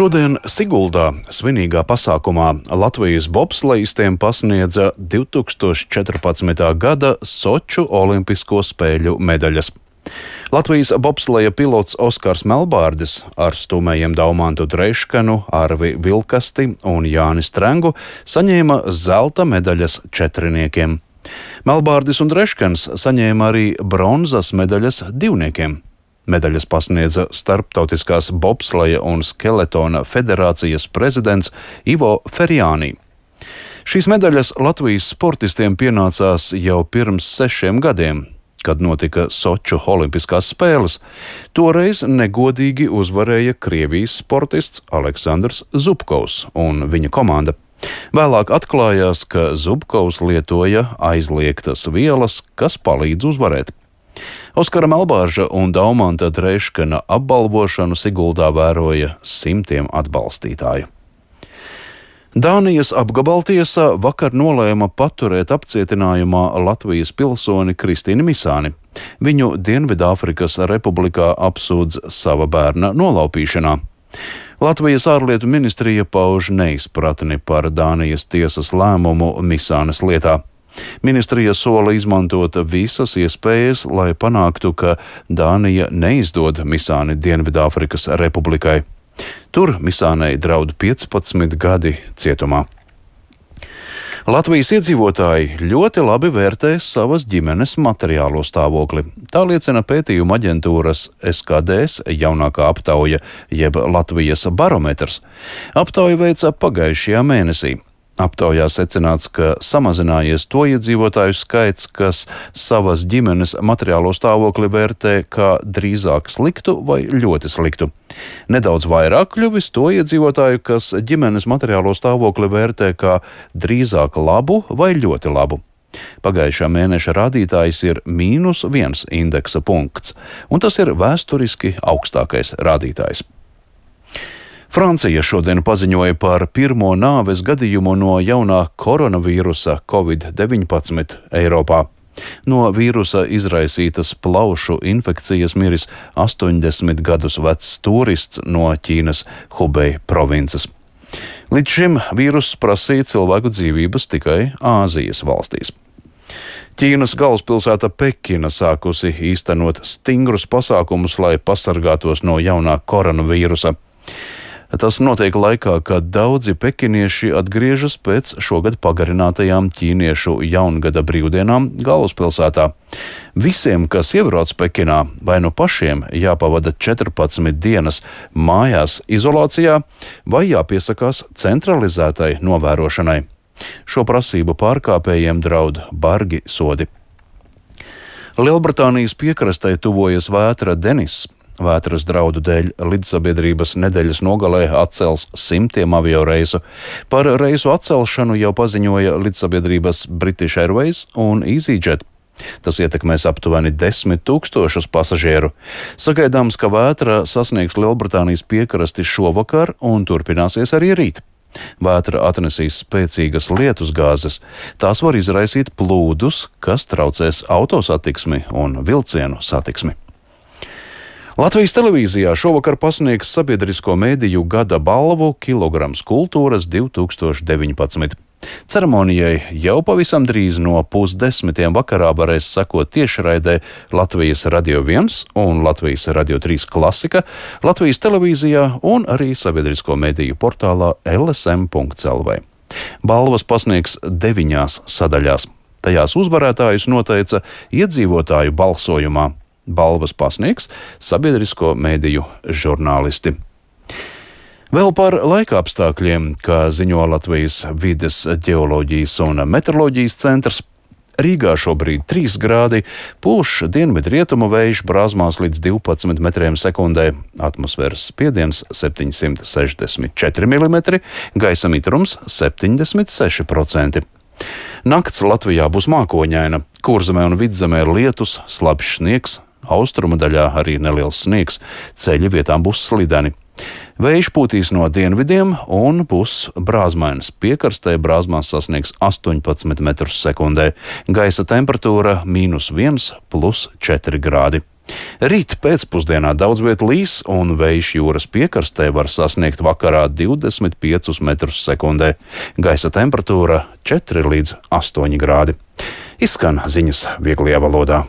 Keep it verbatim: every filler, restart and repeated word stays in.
Šodien Siguldā svinīgā pasākumā Latvijas bobslejistiem pasniedza divi tūkstoši četrpadsmitā gada Soču olimpisko spēļu medaļas. Latvijas bobsleja pilots Oskars Melbārdis ar stūmējiem Daumantu Dreiškanu, Arvi Vilkasti un Jāni Strengu saņēma zelta medaļas četriniekiem. Melbārdis un Dreiškans saņēma arī bronzas medaļas divniekiem. Medaļas pasniedza Starptautiskās bobsleja un skeletona federācijas prezidents Ivo Ferjānī. Šīs medaļas Latvijas sportistiem pienācās jau pirms sešiem gadiem, kad notika Soču olimpiskās spēles. Toreiz negodīgi uzvarēja Krievijas sportists Aleksandrs Zubkovs un viņa komanda. Vēlāk atklājās, ka Zubkovs lietoja aizliegtas vielas, kas palīdz uzvarēt. Oskara Melbārža un Daumanta Dreiškana apbalvošanu Siguldā vēroja simtiem atbalstītāju. Dānijas apgabaltiesa vakar nolēma paturēt apcietinājumā Latvijas pilsoni Kristīnu Misāni. Viņu Dienvidāfrikas republikā apsūdz sava bērna nolaupīšanā. Latvijas ārlietu ministrija pauž neizpratni par Dānijas tiesas lēmumu Misānes lietā. Ministrija sola izmantot visas iespējas, lai panāktu, ka Dānija neizdod Misāni Dienvidāfrikas republikai. Tur Misānei draud piecpadsmit gadi cietumā. Latvijas iedzīvotāji ļoti labi vērtē savas ģimenes materiālo stāvokli. Tā liecina pētījuma aģentūras S K D S jaunākā aptauja, jeb Latvijas barometrs. Aptauja veica pagājušajā mēnesī. Aptaujā secināts, ka samazinājies to iedzīvotāju skaits, kas savas ģimenes materiālo stāvokli vērtē kā drīzāk sliktu vai ļoti sliktu. Nedaudz vairāk kļuvis to iedzīvotāju, kas ģimenes materiālo stāvokli vērtē kā drīzāk labu vai ļoti labu. Pagājušā mēneša rādītājs ir mīnus viens indeksa punkts, un tas ir vēsturiski augstākais rādītājs. Francija šodien paziņoja par pirmo nāves gadījumu no jaunā koronavīrusa covid deviņpadsmit Eiropā. No vīrusa izraisītas plaušu infekcijas miris astoņdesmit gadus vecs turists no Ķīnas Hubei provinces. Līdz šim vīruss prasīja cilvēku dzīvības tikai Āzijas valstīs. Ķīnas galvaspilsēta Pekina sākusi īstenot stingrus pasākumus, lai pasargātos no jaunā koronavīrusa. Tas notiek laikā, kad daudzi pekinieši atgriežas pēc šogad pagarinātajām ķīniešu jaungada brīvdienām galvaspilsētā. Visiem, kas iebrauc Pekinā, vai nu pašiem jāpavada četrpadsmit dienas mājās izolācijā, vai jāpiesakās centralizētai novērošanai. Šo prasību pārkāpējiem draud bargi sodi. Lielbritānijas piekrastei tuvojas vētra Denis. Vētras draudu dēļ lidsabiedrības nedēļas nogalē atcels simtiem avioreisu. Par reisu atcelšanu jau paziņoja lidsabiedrības British Airways un EasyJet. Tas ietekmēs aptuveni desmit tūkstošus pasažieru. Sagaidāms, ka vētra sasniegs Lielbritānijas piekrasti šovakar un turpināsies arī rīt. Vētra atnesīs spēcīgas lietusgāzes. Tās var izraisīt plūdus, kas traucēs autosatiksmi un vilcienu satiksmi. Latvijas televīzijā šovakar pasniegs sabiedrisko mēdīju gada balvu Kilograms kultūras divi tūkstoši deviņpadsmit. Ceremonijai jau pavisam drīz no pusdesmitiem vakarā varēs sekot tiešraidē Latvijas Radio viens un Latvijas Radio trīs klasika, Latvijas televīzijā un arī sabiedrisko mēdīju portālā L S M punkts L V. Balvas pasniegs deviņās sadaļās. Tajās uzvarētājus noteica iedzīvotāju balsojumā. Balvas pasniegs sabiedrisko mēdīju žurnālisti. Vēl par laikapstākļiem, kā ziņo Latvijas vides ģeoloģijas un meteoroloģijas centrs. Rīgā šobrīd trīs grādi, pūš dienvidrietumu vējš brāzmās līdz divpadsmit metriem sekundē, atmosfēras spiediens septiņsimt sešdesmit četri milimetri, gaisa mitrums septiņdesmit seši procenti. Nakts Latvijā būs mākoņaina, Kurzemē un Vidzemē lietus, slapjš sniegs, austrumu daļā arī neliels sniegs, ceļi vietām būs slideni. Vējš pūtīs no dienvidiem un būs brāzmains. Piekrastē brāzmās sasniegs astoņpadsmit metrus sekundē. Gaisa temperatūra mīnus viens plus četri grādi. Rīt pēcpusdienā daudz viet līs, un vējš jūras piekrastē var sasniegt vakarā divdesmit piecus metrus sekundē. Gaisa temperatūra četri līdz astoņi grādi. Izskan ziņas vieglajā valodā.